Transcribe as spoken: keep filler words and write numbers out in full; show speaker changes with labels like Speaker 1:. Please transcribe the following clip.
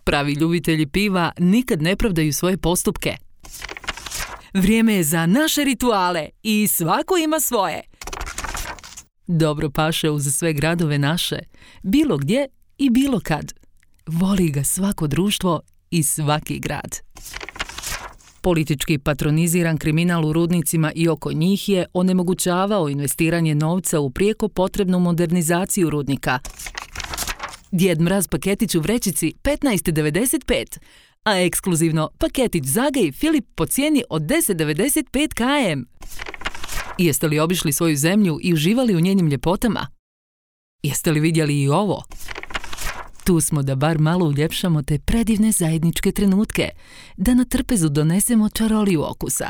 Speaker 1: Pravi ljubitelji piva nikad ne pravdaju svoje postupke. Vrijeme je za naše rituale i svako ima svoje. Dobro paše uz sve gradove naše, bilo gdje i bilo kad. Voli ga svako društvo i svaki grad. Politički patroniziran kriminal u rudnicima i oko njih je onemogućavao investiranje novca u prijeko potrebnu modernizaciju rudnika. Djed Mraz paketić u vrećici petnaest devedeset pet, a ekskluzivno paketić Zaga i Filip po cijeni od deset devedeset pet km. Jeste li obišli svoju zemlju i uživali u njenim ljepotama? Jeste li vidjeli i ovo? Tu smo da bar malo uljepšamo te predivne zajedničke trenutke, da na trpezu donesemo čaroliju okusa.